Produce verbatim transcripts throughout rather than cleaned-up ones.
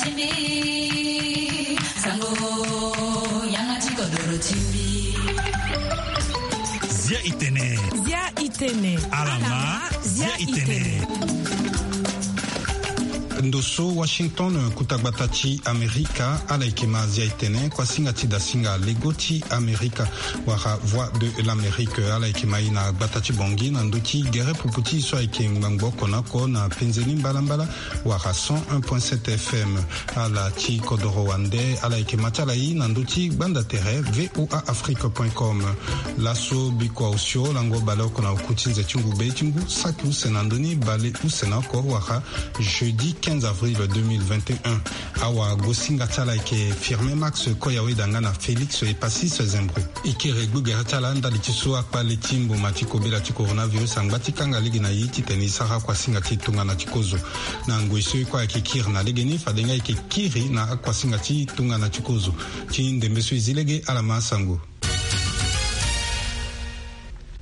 Timbi, sango, yanga ti kodoro timbi. Zia itene. Zia itene. Alama, zia itene. Ndo so Washington, kuta gbata ti Amerika, ala yeke ma zia itene, kuasinga ti dasinga lego ti Amerika, wala Voix de l'Amérique, ala yeke ma i na gbata ti Bangui na ndö ti gere pupu ti i so ayeke ngbangbo oko na oko na penze ni mbalambala, wala cent un point sept F M. Ala ti kodoro wande, ala yeke ma ti ala i na ndö ti gbanda tere V O A Afrique point com. Laso bikua osio lango baleoko na oku ti nze ti ngu be ti ngu saki use na ndö ni bale use na oko wala jeudi quinze avril deux mille vingt et un. Awagosinga ti ala ayeke Firmin Max Koyaweda nga na Félix Epasis Zembro. E kiri gbugere ti ala ndali ti so akpale ti mboma ti kobela ti coronavirus angba ti kanga lege na e titene e sara kuasinga ti tongana ti kozo. Na ngoi so e kue ayeke kiri na legeni, fade nga e yeke kiri na akuasinga ti tongana ti kozo. Ti ndembe so e zi lege, ala ma sango.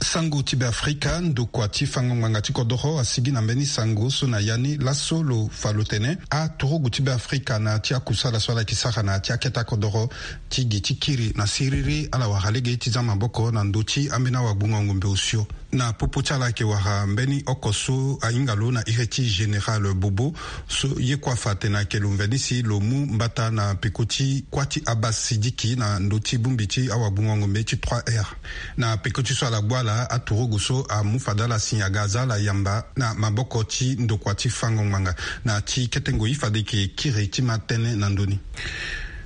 Sango ti Beafrika, ndokua ti fango ngbanga ti kodoro asigi na mbeni sango so na ya ni laso lo fa lo tene aturugu ti Beafrika na ya ti akusala so ala yeke sara na ya ti akete akodoro ti gi ti kiri na siriri ala wara lege ti za maboko na ndö ti ambeni awagbungo ngombe osio. Na popo ti ala ayeke wara mbeni oko so ahinga lo na iri ti Général Bobo, so ye kue afa atene ayeke lo mveni si lo mu mbata na peko ti kuâ ti Abbas Sidiki na ndö ti bongbi ti awagbungo ngombe ti trois R. Na peko ti so ala gbu ala, aturugu so amu fade ala si aga aza ala yamba na maboko ti ndokua ti fango ngbanga. Na ti kete ngoi fade e yeke kiri ti ma tënë na ndö ni.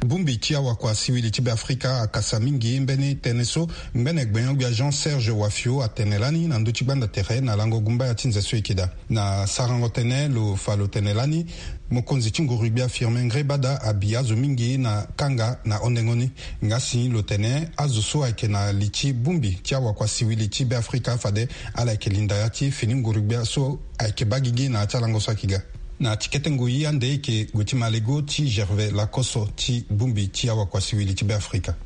Bongbi ti awakua siwili ti Beafrika akasa mingi mbeni tënë so ngbene gbenyo-gbia Jean Serge Wafio atene lani na ndö ti gbanda tere na lango gumbaya ti nze so e yeke daa. Na sarango tënë lo fa lo tene lani, mokonzi ti nguru-gbia Firmin Ngrébada abi azo mingi na kanga na hondengo ni. Nga si lo tene azo so ayeke na li ti bongbi ti awakua siwili ti Beafrika fade ala yeke linda ya ti fini nguru-gbia so ayeke baa gigi na ya ti alango so ayeke ga. Na ti kete ngoi ande e yeke gue ti ma lego ti Gervais Lakoso ti bongbi ti awakua siwili ti Beafrika.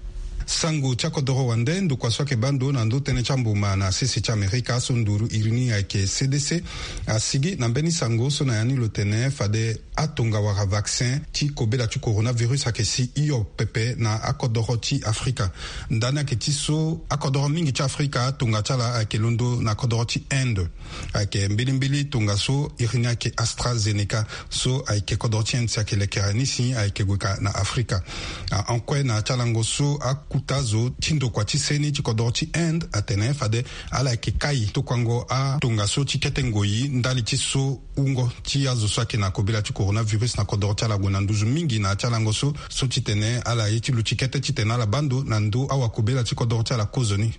Sango ti akodoro wande, ndokua so ayeke baa ndo na ndö tënë ti amboma na sese ti Amerika so nduru iri ni ayeke C D C asigi na mbeni sango so na ya ni lo tene fade atonga wala vaccin ti kobela ti coronavirus ayeke si hio pepe na akodoro ti Afrika. Ndani ayeke ti so akodoro mingi ti Afrika atonga ti ala ayeke londo na kodoro ti Inde. Ayeke mbilimbili tongaso iri ni ayeke AstraZeneca, so ayeke kodro ti Inde si ayeke lekere ni si ayeke gue ka na Afrika. Ahon kue na ya ti alango so, akuta zo ti ndokua ti seni ti kodro ti Inde atene fade ala yeke kai tokuango atongaso ti kete ngoi ndali ti so wungo ti azo so ayeke na kobela ti coronavirus na kodro ti ala gue na nduzu mingi na ya ti alango so, so titene ala ye ti luti kete titene ala baa ndo na ndö awakobela ti kodro ti ala kozoni.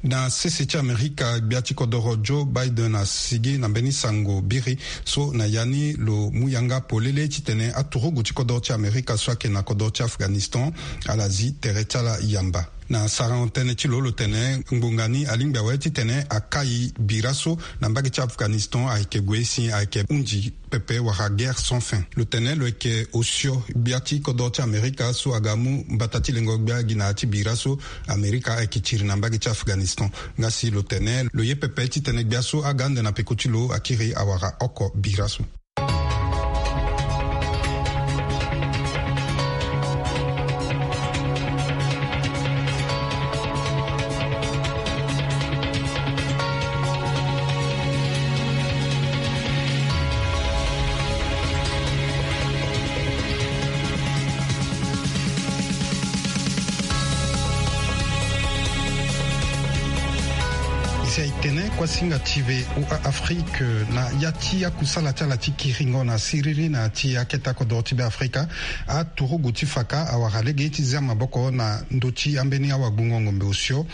Na sese ti Amerika, gbia ti kodoro Joe Biden asigi na mbeni sango biri so na ya ni lo mu yanga polele titene aturugu ti kodoro ti Amerika so ayeke na kodoro ti Afghanistan ala zi tere ti ala yamba. Na sarango tënë ti lo, lo tene ngbonga ni alingbi awe titene akai bira so na mbage ti Afghanistan ayeke gue si ayeke hunzi pepe wala guerre sans fin. Lo tene lo yeke osio gbia ti kodro ti Amerika so aga mu mbata ti lengo gbia gi na ya ti bira so Amerika ayeke tiri na mbage ti Afghanistan. Nga si lo tene lo ye pepe titene gbia so aga ande na peko ti lo akiri awara oko bira so. Zia e tene kuasinga ti V O A Afrique na ya ti akusala ti ala ti kiringo na siriri na ya ti akete akodoro ti Beafrika. Aturugu ti faka awara lege ti zia maboko na ndö ti ambeni awagbungo ngombe osio.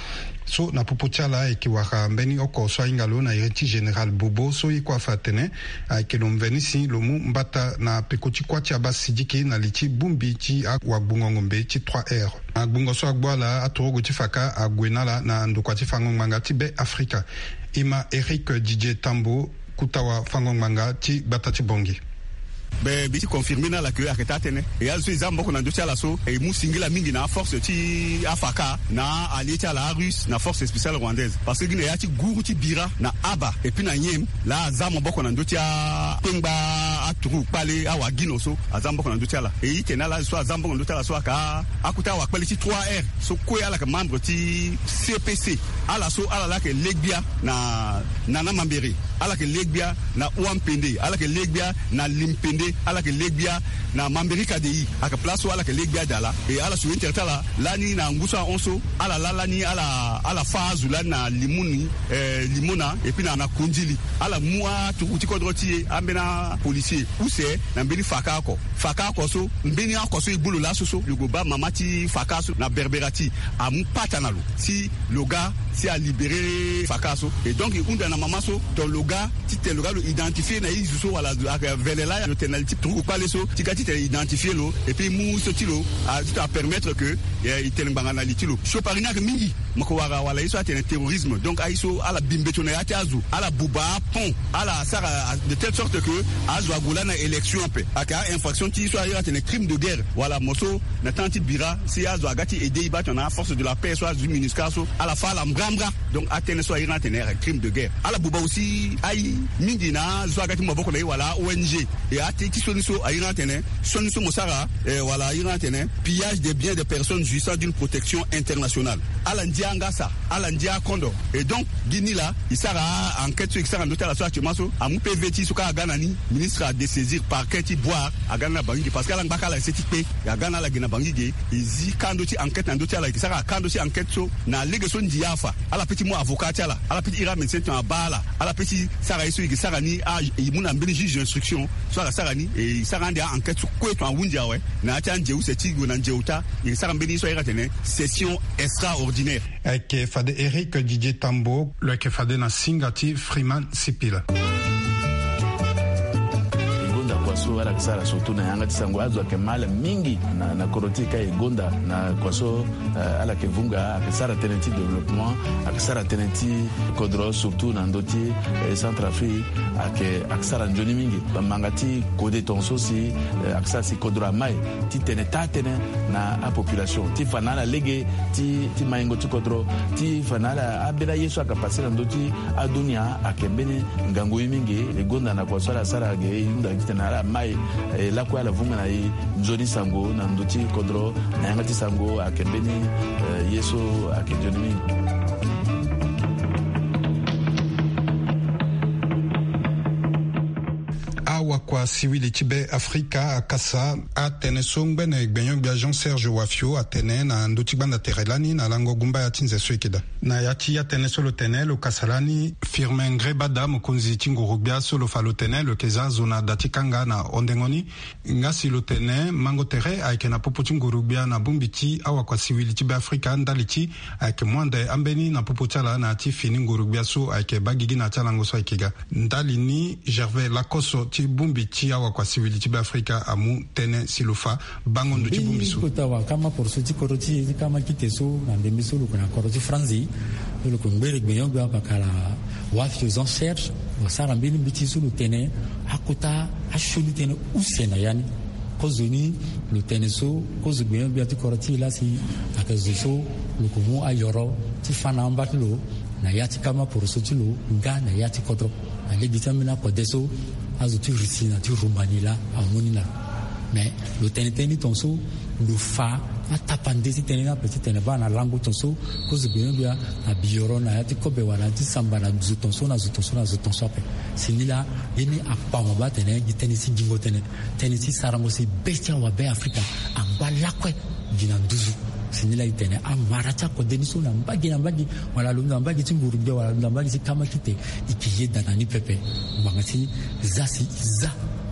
So na popo ti ala ayeke wara mbeni oko so ahinga lo na iri ti Général Bobo so ye kue afa atene ayeke lo mveni si lo mu mbata na peko ti kuâ ti Abbas Sidiki na li ti bongbi ti awagbungo ngombe ti trois R. Na gbungo so agbu ala, aturugu ti faka ague na ala na ndokua ti fango ngbanga ti Beafrika. E ma Eric Didier Tambo, kuta wafango ngbanga ti gbata ti Bangui. Be mbi ti confirmer na ala ke ayeke taa tënë. E azo so e za maboko na ndö ti ala so e mu singila mingi na aforce ti afaka na allié ti ala arusse na force spéciale rwandaise, parce que gi na ya ti guru ti bira na aba epui na nyem laa aza maboko na ndö ti akpengba aturugu kpale awagino so aza maboko na ndö ti ala. E itene ala so aza maboko na ndö ti ala so ayeke akota awakpele ti trois r so kue ala yeke membre ti cpc. Ala so ala laa ayeke le gbia na nana mambere, ala yeke le gbia na uampende, ala yeke le gbia na limpende, ala yeke le gbia na mamberika de i. Ayeke place so ala yeke le gbia daa laa. E ala sue intere ti ala lani na ngu so ahon so ala laa lani ala ala fâ azo lani na limoni, eh, limona epui na na kondili. Ala mu aturugu ti kodro ti e ambeni apolisier use na mbeni faka oko. Faka oko so mbeni oko so e gbu lo laso so lo gue baa mama ti faka so na berbera ti e amu pata na lo si lo ga si alibere faka so. Et donc e hunda na mama so donc lo ga titene lo ga lo identifier na e zo so wala avele laa lo tene na li ti turugu kpale so ti ga titene identifier lo epui mu so ti lo a titene apermettre ke e tene ngbanga na li ti lo. Siopari ni ayeke mingi. Mo yeke wara wala ye so atene terrorisme, donc aye so ala bi mbeto na ya ti azo, ala buba apont, ala sara de telle sorte ke azo ague laa na élection ape. Ayeke a-infraction ti so aye atene crime de guerre wala mo so na temps ti bira si azo aga ti aider e baa tongana aforce de la paix so azo ti minusca so ala fâ ala mbrambra. Donc atënë so aye ni atene ayeke crime de guerre. Ala buba aussi aye mingi na azo so aga ti mu maboko na e wala a-ong. E ate ti sioni so aye ni atene sioni so mo sara, eh, wala aye ni atene pillage des biens des personnes jouissant d'une protection internationale. Ala ndia angasa, ala ndia akondo. Et donc gi ni laa e sara a-enquête so e ke sara na ndö ti ala so actuellement so amu pv ti e so kâ aga na ni. Ministre adésaisir parquet ti Bouar aga ni na Bangui ge parce que ala ngba kâ ala ese ti kpe. E aga na ala ge na Bangui ge e zi kâ ndö ti enquête na ndö ti ala. E ke sara kâ ndö ti enquête so na lege so ndia afa ala pe ti mu avocat ti ala, ala pe ti iri amédecin tongana abaa ala, ala pe ti sara ye so e ke sara ni. E mu na mbeni juge d'instruction so ala sara ni e sara ande a-enquête so kue tongana ahunzi awe. Na ya ti anze use ti gue na nze ota e ke sara mbeni ye so aye atene session extraordinaire. Ayeke fade Éric Didier Tambo. Lo yeke fade na singa ti Freeman Sipila. E gonda kua so ala yeke sara surtout na yanga ti sango azo ayeke ma ala mingi na, na kodro ti e ka e gonda na kua so, eh, ala yeke vunga ayeke sara tënë ti développement, ayeke sara tënë ti kodro surtout na ndö ti, eh, Centrafrique. Ayeke, ayeke sara nzoni mingi. Manga ti kode tongaso si, eh, ayeke sara si kodro amai titene taa tënë na apopulation ti fa na ala lege ti, ti maingo ti kodro, ti fa na ala ambeni aye so ayeke pase na ndö ti adunia ayeke mbeni ngangu ye mingi. E gonda na kua so ala sara ge e hunda titene ala mai, eh, lakue ala vunga na e nzoni sango na ndö ti kodro na yanga ti sango ayeke mbeni, eh, ye so ayeke nzoni mingi. Awakua siwili ti be Afrika akasa atënë so ngbene gbenyo-gbia Jean Serge Wafio atene na ndö ti gbanda tere lani na lango gumbaya ti nze so e yeke daa. Na ya ti atënë so lo tene lo kasa lani, Firmin Ngrébada, mokonzi ti nguru-gbia so lo fa lo tene lo yeke za zo na da ti kanga na hondengo ni. Nga si lo tene mango tere ayeke na popo ti nguru-gbia na bongbi ti awakua siwili ti be Afrika ndali ti ayeke mu ande ambeni na popo ti ala na ya ti fini nguru-gbia so ayeke baa gigi na ya ti alango so ayeke ga. Ndali ni, Gervais Lacosso ti bongbi ti awakua siwili ti be Afrika amu tënë si lo fa bango ndo ti bongbi so. Kota wakama poroso ti kodro ti e ti kama kite so na ndembe so lo yeke na kodro ti Franzi, so lo yeke ngbere gbenyo-gbia pakala Wafio Jean Serge, lo sara mbeni mbeti so lo tene akota asioni tënë use na ya ni. Kozo ni lo tene so, kozo gbenyo-gbia ti kodro ti e laa si ayeke zo so lo yeke mu ayoro ti fâ na amba ti lo na ya ti kama poroso ti lo nga na ya ti kodro. Na lege ti ambeni akode so azo ti Russie na ti Roumanie laa amu ni na lo. Mais lo tene tënë ni tongaso lo fa atapande ti tënë ni ape titene baa na lango tongaso kozo gbenyo-gbia abi yoro na ya ti kobe wala na ya ti samba na zo tongaso na zo tongaso na zo tongaso ape. Si ni laa ye ni akpama baa atene gi tënë ti gingo tënë, tënë ti sarango si be ti awabe Afrika angba lakue gi na nduzu. Si ni laa e tene amara ti akode ni so na mbage na mbage wala lo hunda mbage ti nguru-gbia wala lo hunda mbage ti kama kite, e yeke yeda na ni pepe. Ngbanga ti za si e za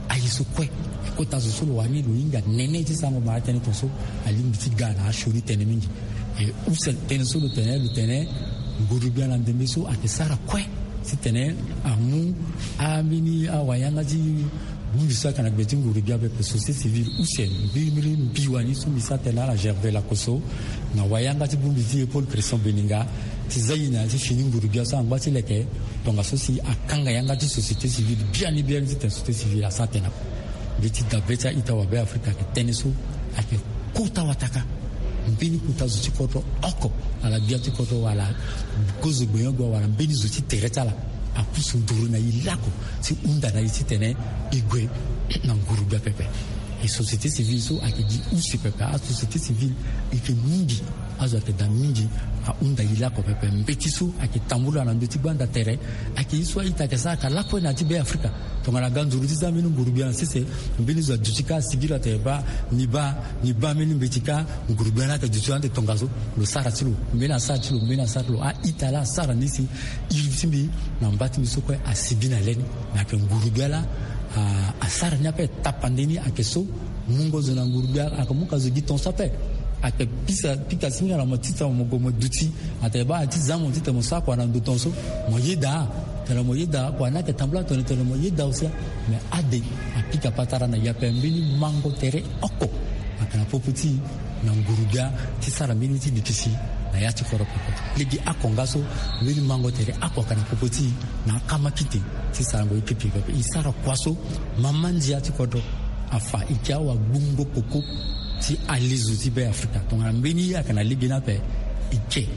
aye so kue. E kota zo so lo wani lo hinga nene ti sarango mara tënë tongaso alingbi ti ga na asioni tënë mingi. E use tënë so lo tene lo tene nguru-gbia na ndembe so ayeke sara kue titene amu ambeni awayanga ti bongbi so ayeke na gbe ti nguru-gbia pepe société civile use mbirimbiri mbi wani so mbi sara tënë na ala Gervais Lacosso na wayanga ti bongbi ti e Paul Christian Beninga ti za e na ya ti fini nguru-gbia so angba ti leke tongaso si akanga yanga ti société civile biani biani titene société civile asara tënë ape. Mbeti dabe ti a-ita wabe afrika ayeke tënë so ayeke kota wataka. Mbeni kota zo ti kodro oko, ala gbia ti kodro wala kozo gbenyogbia wala mbeni zo ti tere ti ala, apusu nduru na e lako ti hunda na e titene e gue na nguru gbia pepe. E société civile so ayeke gi use pepe. Asociété civile e yeke mingi. Azo ayeke daa mingi. Ahunda e lako pepe. Mbeti so ayeke tambula na ndö ti gbanda tere ayeke ye so a-ita ayeke sara ka lakue na ya ti be afrika. Tongana ga nzuru ti za mbeni nguru gbia na sese, mbeni zo aduti kâ asigi lo atene baa, ni baa, ni baa mbeni mbeti kâ. Nguru gbia ni ayeke duti ande tongaso. Lo sara ti lo, mbeni asara ti lo, mbeni asara ti lo. A-ita laa asara ni si iri ti mbi na mba ti mbi so kue asibi na le ni. Me ayeke nguru gbia laa, ah, asara ni ape tapande ni ayeke so. Mungo zo na nguru gbia ayeke mu ka zo gi ton so ape. Ayeke pika, pika singa na mo titene mo gue mo duti. Atene baa ti za mo titene mo sara kua na ndo ton so. Mo yeda. Tene mo yeda kua ni ayeke tambula tongana tene mo yeda aussi. Me ade apika patara na e ape. Mbeni mango tere oko ayeke na popo ti e na nguru gbia ti sara mbeni ti likisi na ya ti kodro pepe. Lege oko nga so mbeni mango tere oko ayeke na popo ti e na akama kite ti sarango ye pipi pepe. E sara kua so mama ndia ti kodro afa e ke awagbungo koko ti alezo ti be afrika. Tongana mbeni ye ayeke na lege ni ape, e ke.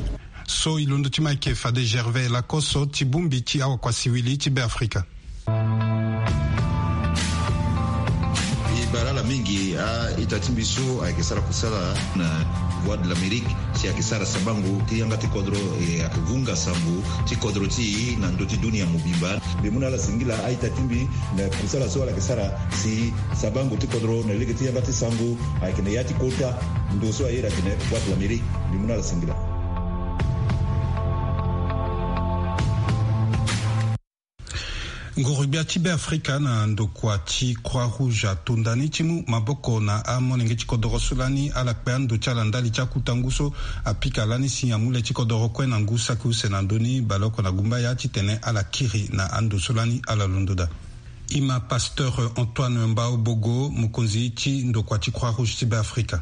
So e londo ti ma ayeke fade Gervais Lacoste ti bongbi ti awakua siwili ti be afrika. E baa ala mingi a-ita ti mbi so ayeke sara kusala na Voix de l'Amérique si ayeke sara sabango ti yanga ti kodro, e ayeke vunga sango ti kodro ti e na ndö ti dunia mobimba. Mbi mu na ala singila a-ita ti mbi na kusala so ala yeke sara si sabango ti kodro na lege ti yanga ti sango ayeke na ya ti kota ndo so a iri atene Voix de l'Amérique. Mbi mu na ala singila. Nguru-gbia ti Be Afrika na ndokua ti Croix Rouge atonda ni ti mu maboko na amolenge ti kodoro so lani ala kpe ando ti ala ndali ti akuta ngu so apika lani si amu le ti kodoro kue na ngu saki use na ndö ni baleoko na gumbaya titene ala kiri na ando so lani ala londo daa. E ma Pasteur Antoine Mbao Bogo, mokonzi ti ndokua ti Croix Rouge ti Be Afrika.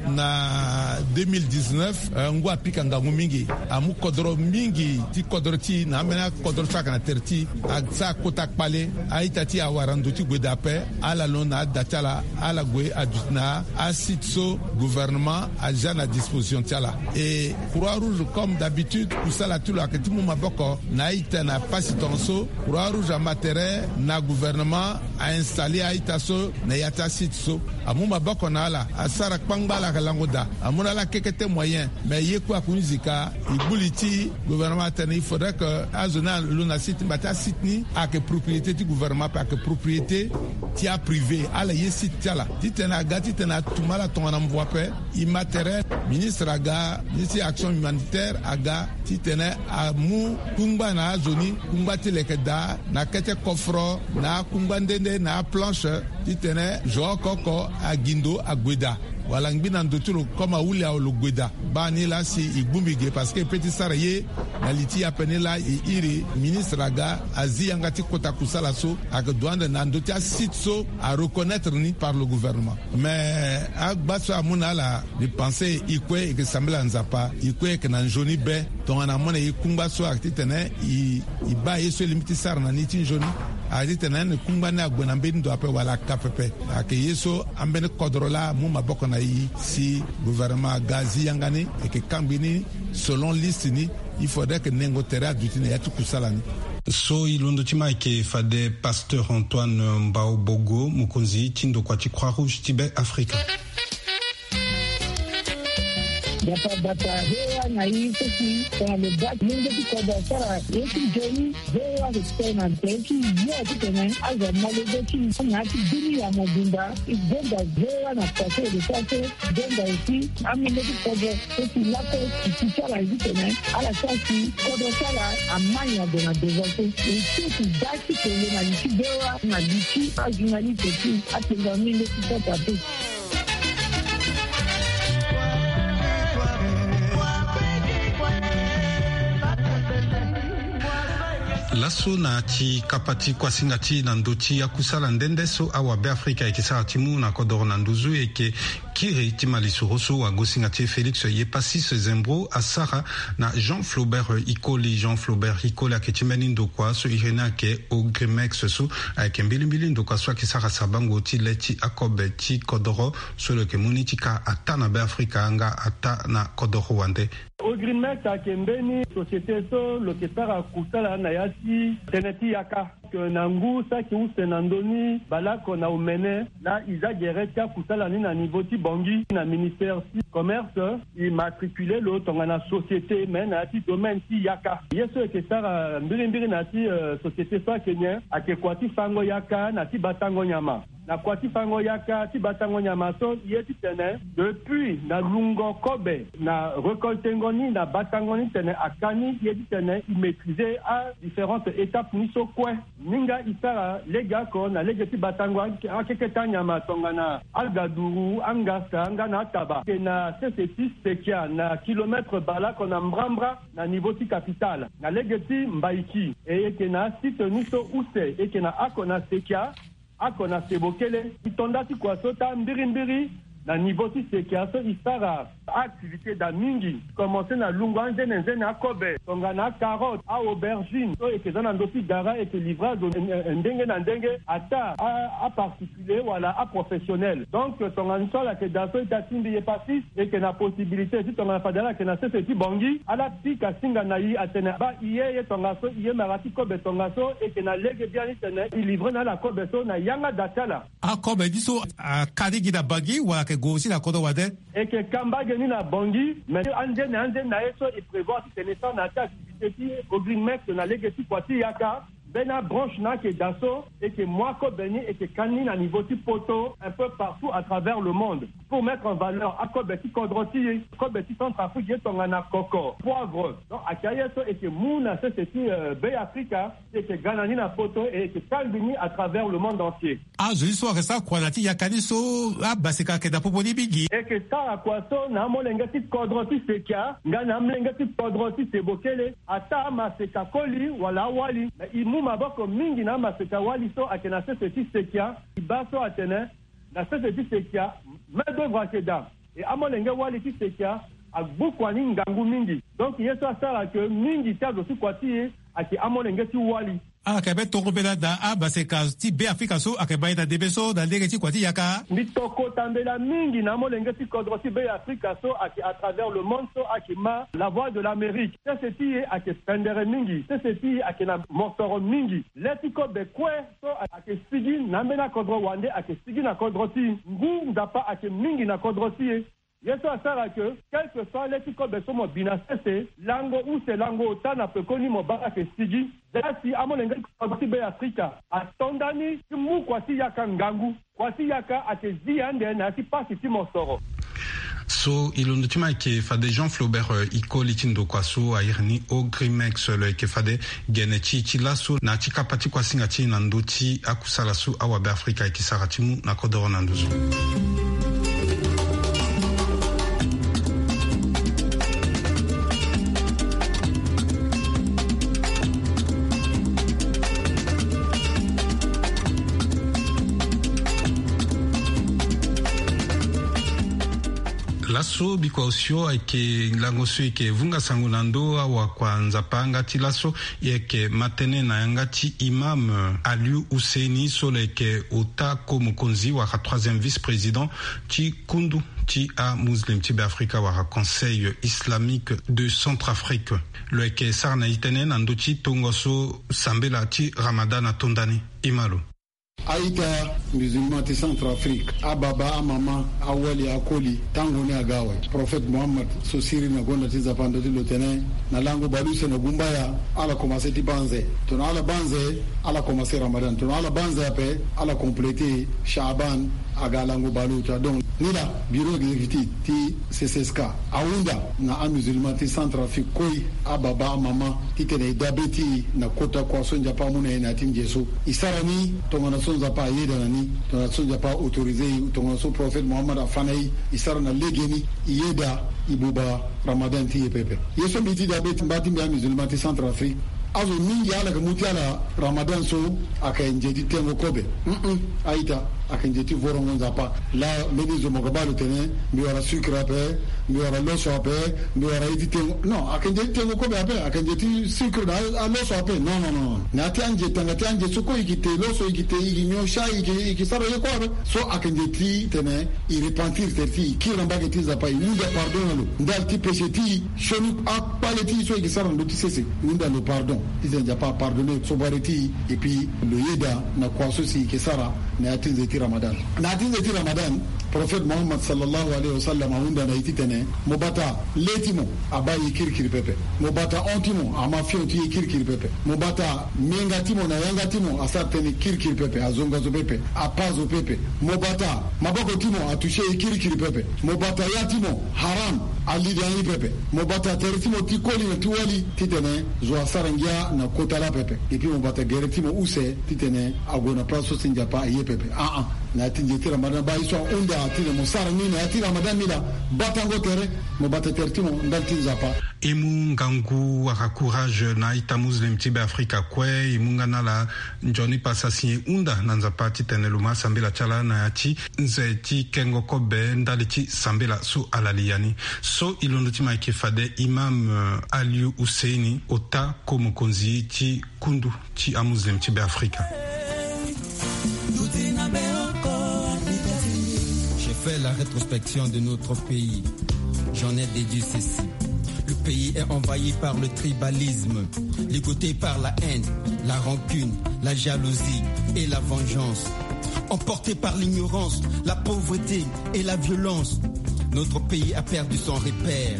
Na deux mille dix-neuf, eh, ngu apika ngangu mingi. Amu kodro mingi ti kodro ti e na ambeni akodro so ayeke na tere ti e asara kota kpale. A-ita ti e awara ndo ti gue daa ape. Ala londo na ada ti ala, ala gue aduti na asite so gouvernement azia na disposition ti ala. E Croix Rouge, comme d'habitude, kusala ti lo ayeke ti mu maboko na a-ita na pasi tongaso. Croix Rouge ama tere na gouvernement a installer a-ita so na ya ti asite so. Amu maboko na ala, asara kpangba, ala yeke lango daa. Amu na ala kekete moyen. Mais ye kue akunzi ka, e gbu li ti gouvernement atene il faudrait que azo ni alo na site ni, mba ti asite ni ayeke propriété ti gouvernement ape, ayeke propriété ti aprivé. Ala ye site ti ala titene aga titene atum ala tongana mvua ape. E ma tere, ministre aga, ministre ti action humanitaire aga titene amu kungba na azo ni, kungba ti leke daa na kete kofro na akungba nde nde na aplanche titene zo oko oko agi ndo ague daa. Wala ngbi na ndo ti lo comme ahuli awe lo gue daa. Baa ni laa si e gbu mbi ge parce que e pe ti sara ye na li ti e ape ni laa e iri ministre aga azi yanga ti kota kusala so ayeke duande na ndö ti asite so areconnaître ni par le gouvernement. Mais agba so amu na ala, mbi pense e kue e yeke sambela Nzapa, e kue e yeke na nzoni be. Tongana amu na e kungba so ayeke titene e, e baa ye so e lingbi ti sara na ni ti nzoni. Ayeke titene kungba ni ague na mbeni ndo ape wala aka pepe. Ayeke ye so ambeni kodro laa amu maboko na e si gouvernement aga azi yanga ni, e yeke kangbi ni selon liste ni. Il faudrait que nengo tere aduti na ya ti kusala ni. So e londo ti ma ayeke fade Pasteur Antoine Mbao Bogo, mokonzi ti ndokua ti Croix Rouge ti Be Afrika. Bata bata, V O A na e so si tongana lo baa ti mungo ti kodro asara ye ti nzoni, V O A ayeke tene na tere ti yo titene azo amolenge ti e na ya ti dunia mobimba. E gonda V O A na kua so e lo sara so, e gonda aussi amolenge ti kodro so si lakue ti ti ti ala ye titene ala sara si kodro ti ala amai ague na devant so. E so si da ti kele na li ti V O A na li ti ajournaliste ti atenda amolenge ti kota te. Laso na ti kapa ti kuasinga ti na ndö ti akusala nde nde so awabe Afrika ayeke sara ti mu na kodoro na nduzu, e yeke Kiri ti malisoro so wagosinga ti e Félix Yepasis Zembro asara na Jean Flaubert Ikoli. Jean Flaubert Ikoli ayeke ti mbeni ndokua so iri ni ayeke Ogrimex so ayeke mbilimbili ndokua so ayeke sara sabango ti le ti akobe ti kodoro so lo yeke mu ni ti ka ataa na Beafrika nga ataa na kodoro wande. Ogrimex ayeke mbeni société so lo yeke sara kusala na ya ti tënë ti yaka. Na ngu saki use na ndö ni baleoko na omene laa e za gere ti akusala ni na niveau ti Bangui na ministère ti commerce. E matricule lo tongana société me na ya ti domaine ti yaka. Ye so e yeke sara mbirimbiri na ya ti société so ayeke nyen? Ayeke kua ti fango yaka na ti batango nyama. Na kua ti fango yaka ti batango nyama so e ye titene depuis na lungo kobe na recoltengo ni na batango ni tene aka ni e ye titene e maîtriser adifférentes étapes ni so kue. Ni nga e sara legeoko na lege ti batango akeke ti anyama tongana agaduru, angasa nga na ataba. E yeke na sese ti sekia na kilomètre baleoko na mbrambra na niveau ti capitale na lege ti mbaiki. E yeke na asite ni so use e yeke na oko na sekia, oko na sebo kele. E to nda ti kua so taa mbirimbiri na niveau ti sekia so e sara aactivité daa mingi. Commencer na lungo anzene nzene akobe tongana acarotte, aaubergine so e yeke za na ndö ti gara, e yeke livrer azo ndenge na ndenge ataa aparticulier wala aprofessionnel. Donc tongana so ala yeke daa so ita ti mbi Yepasis e yeke na possibilité ti tongana fade ala yeke na sese ti Bangui ala pika singa na e atene baa e ye ye tongaso, e ye mara ti kobe tongaso. E yeke na lege biani titene e livrer na ala kobe so na yanga daa ti ala. Akobe ni so aka ni gi na Bangui wala ayeke gue aussi na kodro wande? E yeke ka mbage ni na Bangui, mais anzene anzene na ye so e prévoir titene e sara na ya ti activité ti Ogrimex na lege ti kua ti yaka. Mbeni abranche na ayeke daa so e yeke mu akobe ni, e yeke ka ni na niveau ti poto un peu partout à travers le monde pour mettre en valeur akobe ti kodro ti e, kobe ti Centrafrique ye tongana koko, poivre. Donc ayeke aye so e yeke mu na sese ti Beafrika. E yeke ga na ni na poto e yeke kangbi ni à travers le monde entier. Azo ni so ayeke sara kua na ya ti yaka ni so abaseka ayeke na popo ni mingi. E yeke sara kua so na amolenge ti kodro ti sekia nga na amolenge ti kodro ti sebo kele. Ataa amaseka koli wala awali, me e mu maboko mingi na amaseka wali so ayeke na sese ti sekia. E baa so atene na sese ti sekia main d'œuvre ayeke daa. E amolenge wali ti sekia agbu kua ni ngangu mingi. Donc ye so asara ke mingi ti azo ti kua ti e ayeke amolenge ti wali. Ala yeke be tongo mbela na amaseka ti Beafrika so ayeke ma e na ndembe so na lege ti kua ti yaka. Mbi to kota mbela mingi na amolenge ti kodro ti Beafrika so ayeke à travers le monde so ayeke ma La Voix de l'Amérique. Sese ti e ayeke pendere mingi, sese ti e ayeke na mosoro mingi. Le ti kobe kue so ayeke sigi na ambeni akodro wande ayeke sigi na kodro ti e. Ngu Nzapa ayeke mingi na kodro ti e. Ye so asara ke quelque soit le ti kobe so mo bi na sese, lango use lango ota na pekoni mo baa ayeke sigi. Zia si amolenge ti kodro ti Beafrika ato ndani ti mu kua ti yaka ngangu. Kua ti yaka ayeke zi ande na ya ti pasi ti mosoro. So e londo ti ma ayeke fade Jean Flaubert Ikoli ti ndokua so a iri ni Ogrimex lo yeke fade gene ti e ti laso na ya ti kapa ti kuasinga ti e na ndö ti akusala so awabe Afrika ayeke sara ti mu na kodoro na nduzu. Laso bikua osio ayeke lango so e yeke vunga sango na ndö awakua Nzapa nga ti laso. E yeke ma tënë na yanga ti imam Aliou Husseini so lo yeke ota ko mokonzi wala troisième vice-président ti kundu ti amuslim ti Beafrika wala Conseil Islamique de Centrafrique. Lo yeke sara na e tënë na ndö ti tongo so sambela ti Ramadan ato ndani. E ma lo. A-ita musulman ti Centrafrique, ababa, amama, awali, akoli, tango ni aga awe. Prophète Mohammed so siriri na gonda ti Nzapa ndo ti lo tene na lango baleuse na gumbaya ala commencer ti banze. Tongana ala banze, ala commencer Ramadan. Tongana ala banze ape, ala compléter Shaaban aga lango baleuse. Donc ni laa bureau exécutif ti C C S K ahunda na amusulman ti Centrafrique kue, ababa, amama, titene e dabe ti e na kota kua so Nzapa amu na e na ya ti nze so. E sara ni tongana so Nzapa ayeda na ni, tongana so Nzapa a-autoriser e, tongana so prophète Mohammed afa na e. E sara na legeni, e yeda, e buba Ramadan ti e pepe. Ye so mbi ti dabe ti mba ti mbi amusulman ti Centrafrique, azo mingi ala yeke mu ti ala Ramadan so ayeke nze ti tengo kobe. Mm-mm, a-ita. Ayeke nze ti vorongo Nzapa. Laa mbeni zo mo ga baa lo tene mbi wara sucre ape, mbi wara loso ape, mbi wara ye ti tengo. Non, ayeke nze ti tengo kobe ape, ayeke nze ti sucre na aloso ape. Non, non, non. Na ya ti anze tanga ti anze so kue e yeke te loso, e yeke te, e yeke nyon sha, e yeke, e yeke sara ye kue ape. So ayeke nze ti tene e repentir tere ti e, e kiri na mbage ti Nzapa, e hunda pardon na lo ndali ti péché ti e. Sioni akpale ti e so e yeke sara na ndö ti sese, e hunda lo pardon. Titene Nzapa apardonner sobare ti e, et puis lo yeda na kua so si e yeke sara na ya ti nze ti Ramadan. Na ya ti nze ti Ramadan, Prophète Mohammed sallallahu alayhi wa sallam ahunda na e titene mo bata le ti mo abaa ye kirikiri pepe. Mo bata hon ti mo ama fion ti ye kirikiri pepe. Mo bata menga ti mo na yanga ti mo asara tënë kirikiri pepe, azonga zo pepe, apaa zo pepe. Mo bata maboko ti mo atoucher ye kirikiri pepe. Mo bata ya ti mo haram ali dangi pepe. Mo bata tere ti mo ti koli na ti wali titene zo asara ngia na kota laa pepe. Et puis mo bata gere ti mo use titene ague na place so si Nzapa aye pepe. Ah ah. Na ya ti nze ti Ramadan baa ye so ahunda titene mo sara ni na ya ti Ramadan ni laa, batango tere, mo bata tere ti mo ndali ti Nzapa. E mu ngangu wala courage na a-ita Muslim ti Beafrika kue. E mu nga na ala nzoni pasa si e hunda na Nzapa titene lo ma sambela ti ala na ya ti nze ti kengo kobe ndali ti sambela so ala li ya ni. So e londo ti ma ayeke fade Imam, eh, Aliou Housseini, ota ko mokonzi ti kundu ti a-Muslim ti Beafrika. J'ai fait la rétrospection de notre pays. J'en ai déduit ceci. Le pays est envahi par le tribalisme, ligoté par la haine, la rancune, la jalousie et la vengeance, emporté par l'ignorance, la pauvreté et la violence. Notre pays a perdu son repère,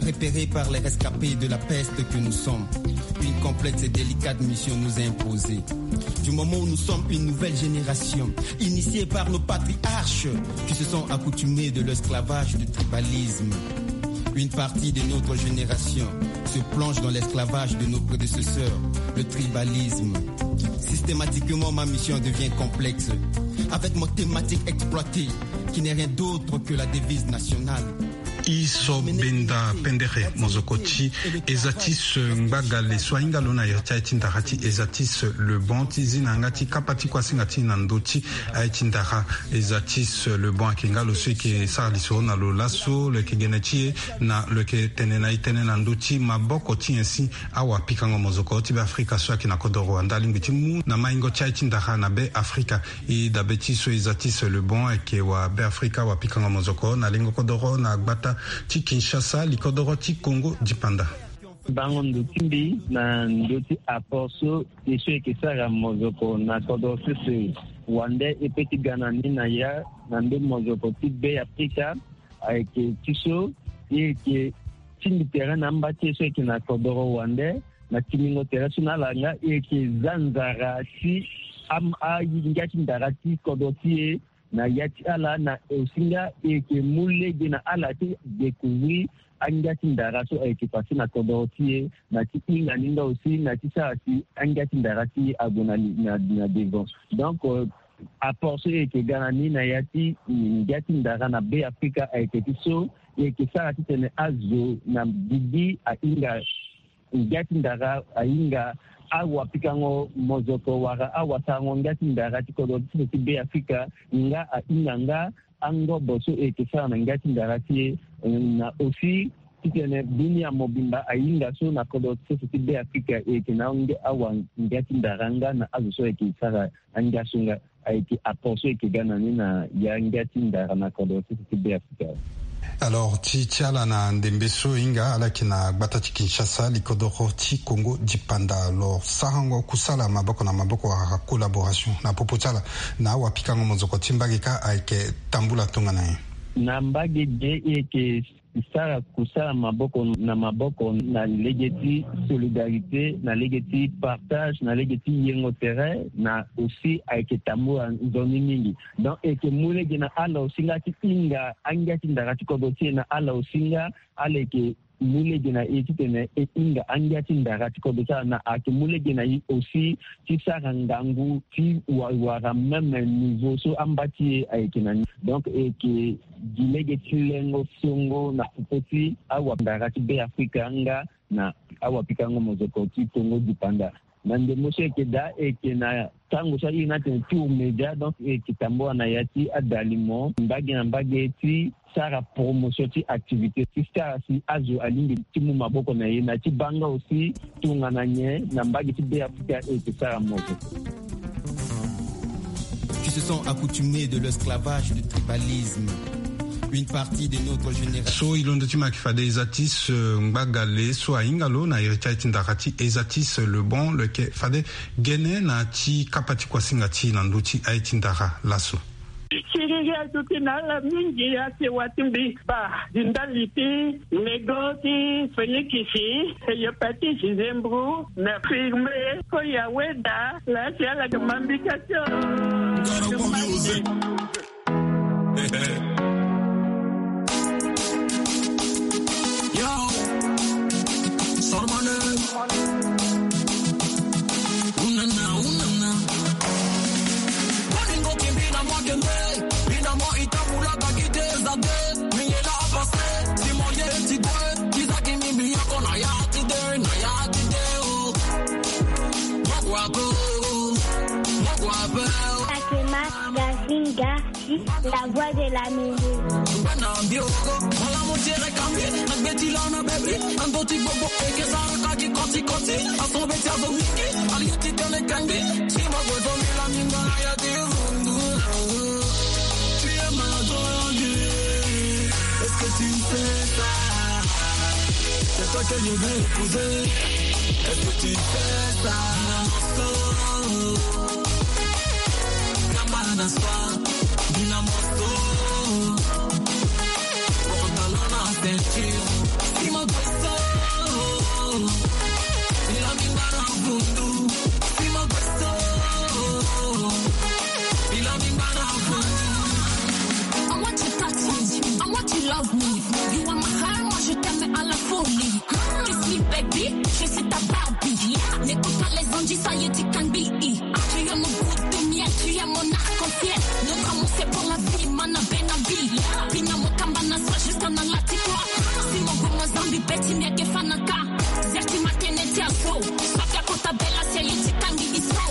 repéré par les rescapés de la peste que nous sommes. Une complexe et délicate mission nous est imposée. Du moment où nous sommes une nouvelle génération, initiée par nos patriarches qui se sont accoutumés de l'esclavage du tribalisme, une partie de notre génération se plonge dans l'esclavage de nos prédécesseurs, le tribalisme. Systématiquement, ma mission devient complexe, avec mon thématique exploitée, qui n'est rien d'autre que la devise nationale. E so benda pendere mozoko ti Ezatis Ngbagale so ahinga lo na iri ti aye ti ndara ti Ezatis Le Bon ti zi na yanga ti kapa ti kuasinga ti e na ndö ti aye ti ndara. Ezatis Le Bon ayeke nga lo so e yeke sara lisoro na lo laso, lo yeke gene ti e na lo yeke tene na e tënë na ndö ti maboko ti nyen si awapikango mozoko ti Beafrika so ayeke na kodoro wande alingbi ti mu na maingo ti aye ti ndara na Beafrika. E dabe ti so Ezatis Le Bon ayeke wa Beafrika, wapikango mozoko na lengo kodoro na gbata ti Kinshasa, likodoro ti Kongo dipanda. Bango ndo ti mbi na ndö ti apport so e so e yeke sara mozoko na kodoro sese wande e pe ti ga na ni na ya na ndö mozoko ti Beafrika. Ayeke ti so e yeke tingbi tere na amba ti e so e yeke na kodoro wande na tingbingo tere so na ala nga e yeke za nzara ti am- angia ti ndara ti kodro ti e na ya ti ala na osi nga e yeke mu lege na ala ti découvrir angia ti ndara so ayeke passé na kodro ti e na ti hinga ni nga osi na ti sara si angia ti ndara ti e ague na, na, na devant. Donc, euh, apport so e yeke ga na ni na ya ti ngia ti ndara na Beafrika ayeke ti so e yeke sara titene azo na gigi ahinga ngia ti ndara, ahinga awapikango mozoko wala awasarango ngia ti ndara ti kodro ti so ti Beafrika nga ahinga nga angobo so e yeke sara na ngia ti ndara ti e, eh, na aussi titene dunia mobimba ahinga so na kodro ti so ti Beafrika e yeke na ange- awa ngia ti ndara nga na azo so e yeke sara angia so nga. Ayeke apport so e yeke ga na ni na ya ngia ti ndara na kodro ti so ti Beafrika. Alors ti, ti ala na ndembe so e hinga ala yeke na gbata ti Kinshasa, likodoro ti Kongo dipanda. Alors sarango kusala maboko na maboko wala collaboration na popo ti ala na awapikango mozoko ti mbage kâ ayeke tambula tongana nyen? Na mbage ge e yeke sara kusala maboko na maboko na lege ti solidarité, na lege ti partage, na lege ti yengo tere, na aussi ayeke tambula nzoni mingi. Donc e yeke mu lege na ala aussi nga ti hinga angia ti ndara ti kodro ti e, na ala aussi nga ala yeke mu lege na e titene e hinga angia ti ndara ti kodro ti ala, na ayeke mu lege na e aussi ti sara ngangu ti wa- wara même niveau so amba ti e ayeke na ni. Donc e yeke gi lege ti lengo songo na popo ti awandara ti Beafrika nga na awapikango mozoko ti Kongo dipanda. Na ndembo so e yeke daa, e yeke na tango so a iri ni atene Tour Média, donc e yeke tambula na ya ti adalimo mbage na mbage ti sara promotion ti activité ti sara si azo alingbi ti mu maboko na ye na ti baa nga aussi tongana nyen na mbage ti Beafrika e yeke sara mo so. Qui se sont accoutumés de l'esclavage du tribalisme. Une partie de notre génération. So e londo ti ma yeke fade Ezatis, euh, Ngbagale so ahinga lo na iri ti aye ti ndara ti Ezatis Le Bon, lo yeke fade gene na ti kapa ti kuasinga ti e na ndö ti aye ti ndara laso. Siriri aduti na ala mingi, asewa ti mbi baa. Di ndali ti lego ti Fenikisi, hépatite, zembro, na firme, ko ya weda, la si ala ke mambika tio. Yo, Sormane. Unana, unana. Bolingo kimbi na mwa kende, bina mo ita mula ba kite za de, mingela apase, si mo ye ti de, kiza kimi mi yako na ya ti de, na ya ti de, oh. Mokwa po, mokwa po. Fatima Gazinga. La voix de la mélodie. Bana mbioko, malamu tere kambi, nagbeti lana bebi, andoti bobo, eke sara kaki koti koti, asobe ti azo mingi, aliti tene kambi, sima bozo mila minga ya ti vundu. Tu es ma drogue, est-ce que tu sais ça? C'est toi que je veux épouser, est-ce que tu sais ça? Kamba na swa, bina mosto. Pantalon na ceinture, sima boso. Bila mingba na vundu, sima boso. Bila mingba na vundu. I want to touch you, I want to love me. You are my heart, moi je t'aime à la folie. Kiss me baby, je suis ta Barbie. N'écoute pas les anges, ça y est, tu can be. Tu es mon goût de miel, tu es mon arc-en-ciel. Notre amour c'est pour la vie, mana benabi. Bina mo kamba na swa jusqu'à na lati kwa. Si mo guma zambi beti ni ake fanaka. Zerti matene ti aso. Sofia kota bela si aye ti kangi iso.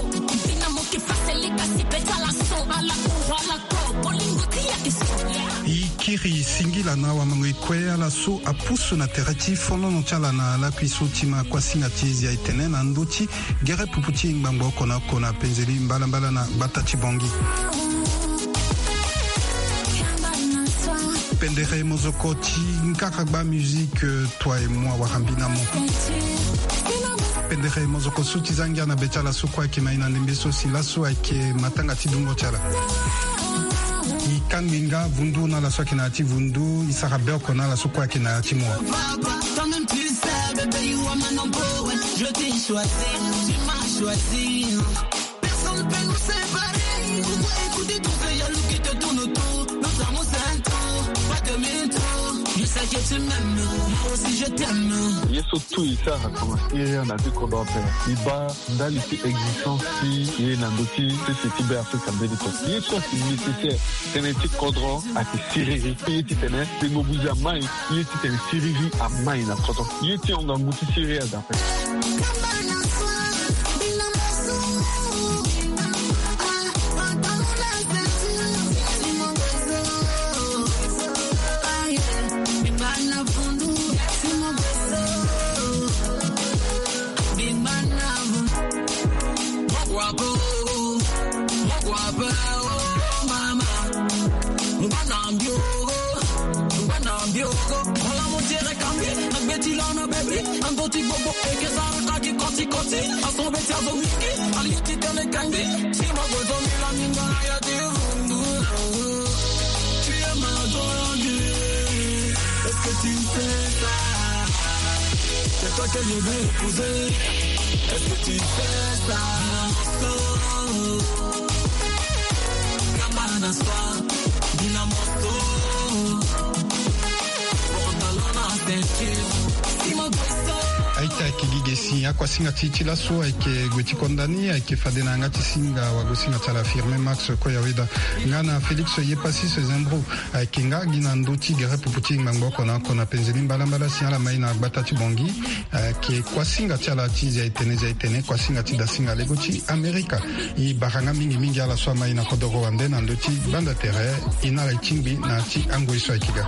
Bina mo ke fasele kasi beti ala so. Ala ko, ala ko. Bolingo ti ya ke so. E kiri singila na wamango e kue ala so apusu na tere ti fonono ti ala na lakui so ti ma kuasinga ti e zia e tene na ndö ti gere pupu ti ngbangbo oko na oko na penzeli mbalambala na gbata ti Bongi. Pendere mozoko ti nkaragba musique, euh, toi et moi, wara mbi na mo. Pendere mozoko so ti za ngia na be ti ala so kue ayeke na e na ndembe so si laso ayeke matanga ti dungo ti ala. E kangbi nga vundu na ala so ayeke na ya ti vundu, e sara be oko na ala so kue ayeke na ya ti mo. Toi-même tu sais, bébé, you are my number one. Je t'ai choisi, tu m'as choisi. Personne peut nous séparer. Pourquoi écouter tous ces jaloux qui te tournent autour? Nos amours c'est un tour, pas de demi-tour. Je sais que tu m'aimes, moi aussi je t'aime. Ye so tout e sara koma siriri na ti kodro ape. E baa ndali ti existence ti ye na ndö ti sese ti Beafrika mbeni to. Ye so ayeke nécessaire tënë ti kodro ayeke siriri. Ye titene tengo buze amai, ye titene siriri amai na kodro. Ye ti hon ngangu ti siriri aza. Mama, ngwa na mbio, ngwa na mbio. Mola mo tiere kambi, na gbeti lana bebi, na ndoti gbogbo, eke sara kaki koti koti, aso beti azo mingi, ali ti tene kambi, si mo gozo mi la minga ya ti vundu. Tu es ma drogue, est-ce que tu sais ça? C'est toi que je veux épouser, est-ce que tu sais ça? Oh. Aita kigige Si akuasinga ti ti laso ayeke gue ti konda ni ayeke fade na yanga ti singa wagosinga ti ala Firmin Max Koyaweda nga na Félix Yepassis Zembro. Ayeke nga gi na ndö ti gere pupu ti ngbangbo oko na oko na penze ni mbalambala si ala mai na gbata ti Bangui. Ayeke kuasinga ti ala ti zia etene zia etene kuasinga ti dasinga lego ti Amerika. E bara nga mingi mingi ala so amai na kodoro wande na ndö ti banda tere. E na ala e tingbi na ti angoi so ayeke ga.